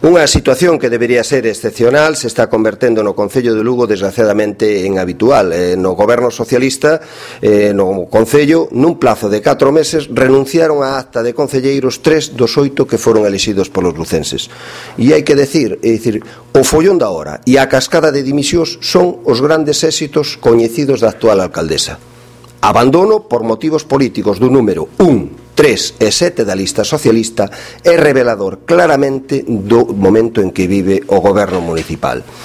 Unha situación que debería ser excepcional se está convertendo no Concello de Lugo desgraciadamente en habitual. No goberno socialista, no Concello, nun plazo de 4 meses, renunciaron á acta de concelleiros 3 dos 8 que foron elixidos polos lucenses. E hai que decir, o follón da hora e a cascada de dimisións son os grandes éxitos coñecidos da actual alcaldesa. Abandono por motivos políticos do número 1, 3 e 7 da lista socialista é revelador claramente do momento en que vive o goberno municipal.